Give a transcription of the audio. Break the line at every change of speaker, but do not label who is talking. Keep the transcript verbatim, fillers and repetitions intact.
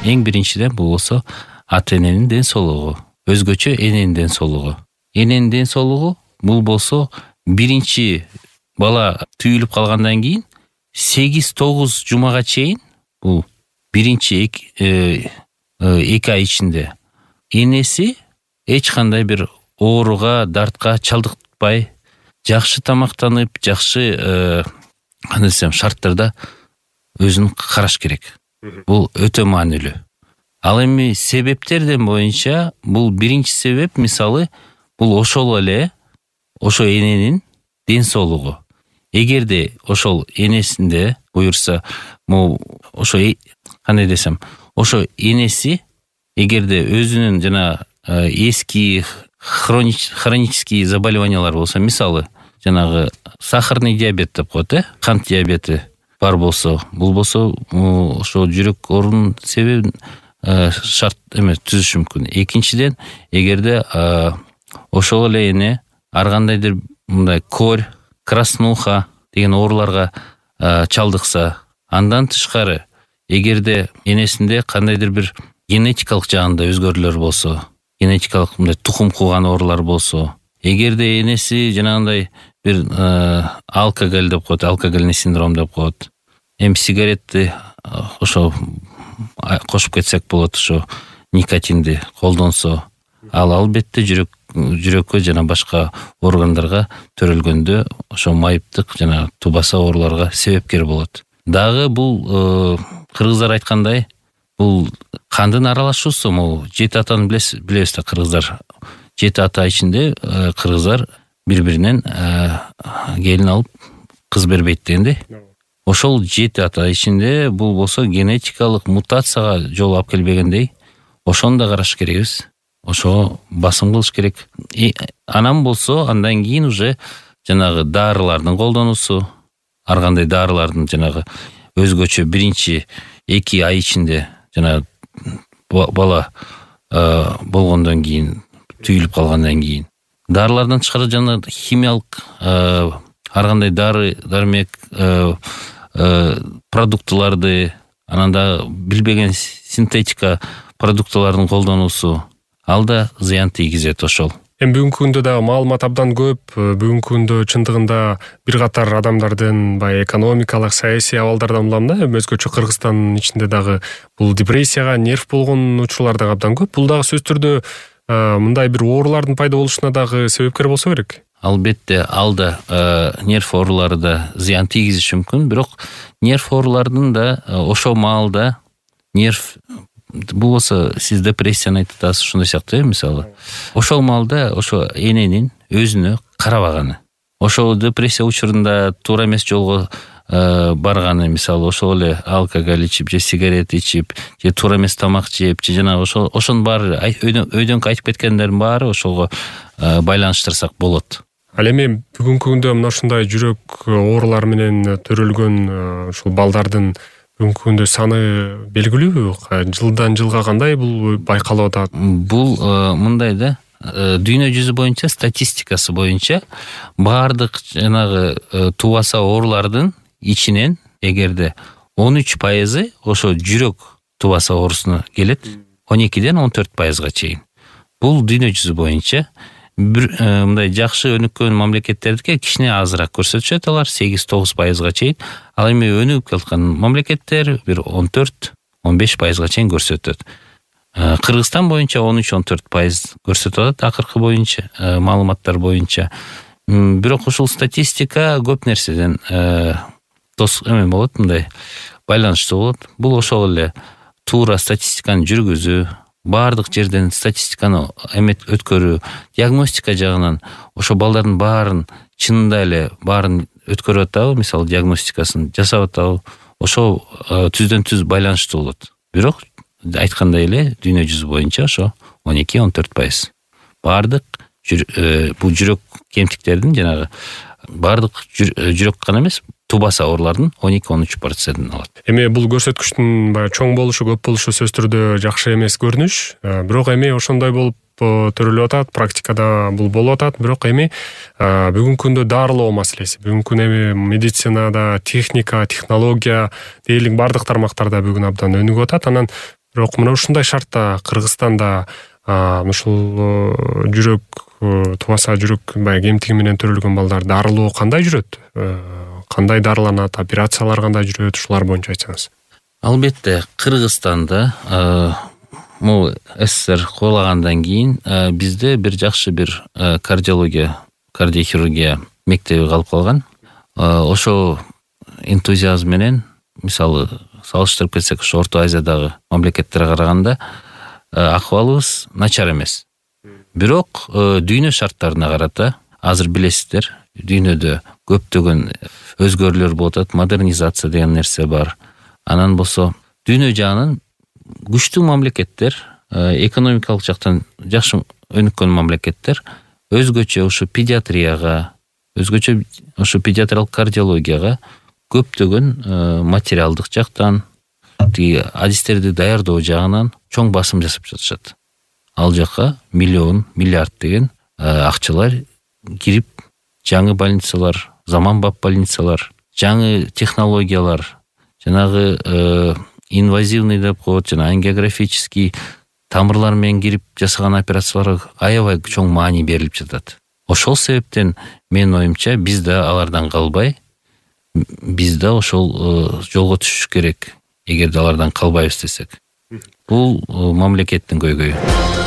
эң биринчиден бул болсо ата эненин ден соолугу, өзгөчө эненин ден соолугу. Эненин ден соолугу бул болсо биринчи бала түйүлүп калгандан кийин сегиз тогуз жумага чейин бул биринчи эки ай ичинде энеси эч кандай бир ооруга, дартка чалдыкпай, жакшы тамактанып, жакшы кандай десем шарттарда өзүн караш керек. Бул өтө маанилүү. Ал эми себептерден боюнча бул биринчи себеп мисалы бул ошол эле ошо эненин ден соолугу. Эгерде ошол энесинде буюрса, могу ошо кандай десем, ошо энеси эгерде өзүнүн жана эски хронический заболеваниялар болсо, мисалы жанагы сахарный диабет деп коет, э, кант диабети бар болсо, бул болсо ошо жүрөк оорунун себебин шарт эме түзүшү мүмкүн. Экинчиден, эгерде ошол эле эне ар кандайдыр мындай корь, краснуха деген ооруларга чалдыкса, андан тышкары эгерде энесинде кандайдыр бир генетикалык жагында өзгөрүүлөр болсо, генетикалык мындай тукум кууган оорулар болсо, эгерде энеси жанагындай бир алкоголь деп коет, алкогольный синдром деп коет. Эми сигаретти ошо кошуп кетсек болот, ошо никотинди колдонсо, ал албетте жүрөк жүрөккө жана башка органдарга төрөлгөндө ошо майыптык жана тубаса ооруларга себепкер болот. Дагы бул кыргыздар айткандай, бул кандын аралашуусу, могу жети атаны билебиз да, кыргыздар жети ата ичинде кыргыздар бири-биринен келин алып кыз бербейт дегенде. Ошол жети ата ичинде бул болсо генетикалык мутацияга жол алып келбегендей, ошону да караш керекбиз. Ошо басым кылыш керек. Анан болсо андан кийин уже жанагы дарылардын колдонуусу, ар кандай дарылардын жанагы өзгөчө биринчи эки ай ичинде жана бала болгондон кийин, түйүлүп калгандан кийин дарылардан тышкары жана химиялык ар кандай дары дармек продуктыларды, анан да билбеген синтетика продуктылардын колдонуусу, ал да зыян тийгизет ошол.
Эми бүгүнкү күндө да маалымат абдан көп. Бүгүнкү күндө чындыгында бир катар адамдардын бай экономикалык, саясий абалдардан улам да, өзгөчө Кыргызстандын ичинде дагы бул депрессияга, нерв болгон учурлар дагы абдан көп. Бул дагы сөзсүз түрдө мындай бир оорулардын пайда болушуна дагы себепкер болсо керек.
Албетте, ал да нерв оорулары да зыян тийгизиши мүмкүн, бирок нерв оорулардын да ошол маалда нерв бул болсо сиз депрессияны айтып атасыз, ушундай сыяктуу, мисалы. Ошол маалда ошо эненин өзүнө карабаганы, ошол депрессия учурунда туура эмес жолго барганы, мисалы ошол эле алкоголь ичип же сигарет ичип же туура эмес тамак жеп же жана ошол ошонун баары өйдөнкү айтып кеткендердин баары ошого байланыштырсак болот.
Ал эми бүгүнкү күндө мына ушундай жүрөк оорулары менен төрөлгөн ушул балдардын бүгүнкү күндө саны белгилүүбү? Жылдан жылга кандай бул байкалып атат?
Бул мындай да, дүйнө жүзү боюнча статистикасы боюнча баардык жанагы тубаса оорулардын ичинен эгерде он үч пайызы ошо жүрөк тубаса оорусуна келет, он экиден он төрт пайызга чейин. Бул дүйнө жүзү боюнча. Бир мындай жакшы өнүккөн мамлекеттердики кичине азыраак көрсөтүшөт, алар сегиз тогуз пайызга чейин. Ал эми өнүгүп келаткан мамлекеттер бир он төрт он беш пайызга чейин көрсөтөт. Кыргызстан боюнча он үч он төрт пайыз көрсөтүп атат акыркы боюнча, маалыматтар боюнча. Бирок ушул статистика көп нерседен тос эме болот, мындай байланыштуу болот. Бул ошол эле туура статистиканы жүргүзүү, баардык жерден статистиканы эмет өткөрүү, диагностика жагынан ошо балдардын баарын чынында эле баарын өткөрүп атабы, мисалы диагностикасын жасап атабы, ошо түздөн түз байланыштуу болот. Бирок айткандай эле дүйнө жүзү боюнча ошо он эки он төрт пайыз. Баардык бул жүрөк кемтиктердин жанагы баардык жүрөк гана эмес, тубаса оорулардын он эки он үч процентин алат.
Эми бул көрсөткүчтүн баягы чоң болушу, көп болушу сөзсүз түрдө жакшы эмес көрүнүш. Бирок эми ошондой болуп төрөлүп атат, практикада бул болуп атат. Бирок эми бүгүнкү күндө дарылоо маселеси, бүгүнкү күндө эми медицинада техника, технология дээрлик баардык тармактарда бүгүн абдан өнүгүп атат. Анан Бирок мына ушундай шартта Кыргызстанда ушул жүрөк тубаса жүрөк баягы эмтиги менен төрөлгөн балдар дарылоо кандай жүрөт? Кандай дарыланат, операциялар кандай жүрөт? Ушулар боюнча айтсаңыз.
Албетте, Кыргызстанда могу СССР кулагандан кийин бизде бир жакшы бир кардиология, кардиохирургия мектеби калып калган. Ошо энтузиазм менен, мисалы, салыштырып кетсек, ошо Орто Азиядагы мамлекеттерге караганда акыбалыбыз начар эмес. Бирок дүйнө шарттарына карата азыр билесиздер, дүйнөдө көптөгөн өзгөрүүлөр болуп атат, модернизация деген нерсе бар. Анан болсо дүйнө жаанын күчтүү мамлекеттер, экономикалык жактан жакшы өнүккөн мамлекеттер өзгөчө ушу педиатрияга, өзгөчө ушу педиатриялык кардиологияга көптөгөн материалдык жактан, тиги адистерди даярдоо жагынан чоң басым жасап жатышат. Ал жакка миллион, миллиард деген акчалар кирип, жаңы больницалар, заманбап больницалар, жаңы технологиялар, жанагы инвазивный деп коет, жана ангиографический тамырлар менен кирип жасаган операцияларга аябай чоң маани берилип жатат. Ошол себептен менин оюмча биз да алардан калбай, биз да ошол жолго түшүш керек, эгерде алардан калбайбыз десек. Бул мамлекеттин көйгөйү.